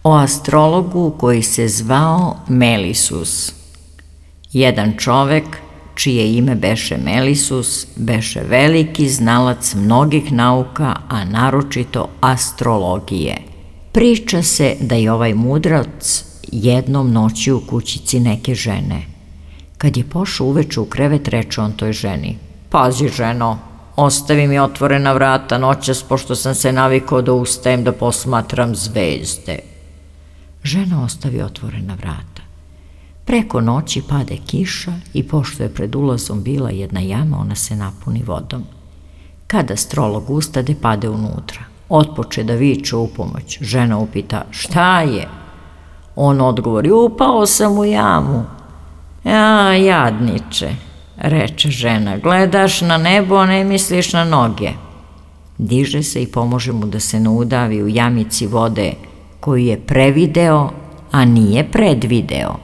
O astrologu koji se zvao Melisus. Jedan čovek, čije ime beše Melisus, beše veliki znalac mnogih nauka, a naročito astrologije. Priča se da je ovaj mudrac jednom noći u kućici neke žene. Kad je pošao uveče u krevet, reče on toj ženi: "Pazi, ženo, ostavi mi otvorena vrata noćas, pošto sam se navikao da ustajem da posmatram zvezde." Žena ostavi otvorena vrata. Preko noći pade kiša i pošto je pred ulazom bila jedna jama, ona se napuni vodom. Kada astrolog ustade, pade unutra. Otpoče da viče u pomoć. Žena upita: "Šta je?" On odgovori: "Upao sam u jamu." "Ja, jadniče," reče žena, "gledaš na nebo, a ne misliš na noge." Diže se i pomože mu da se naudavi u jamici vode koju je prevideo, a nije predvideo.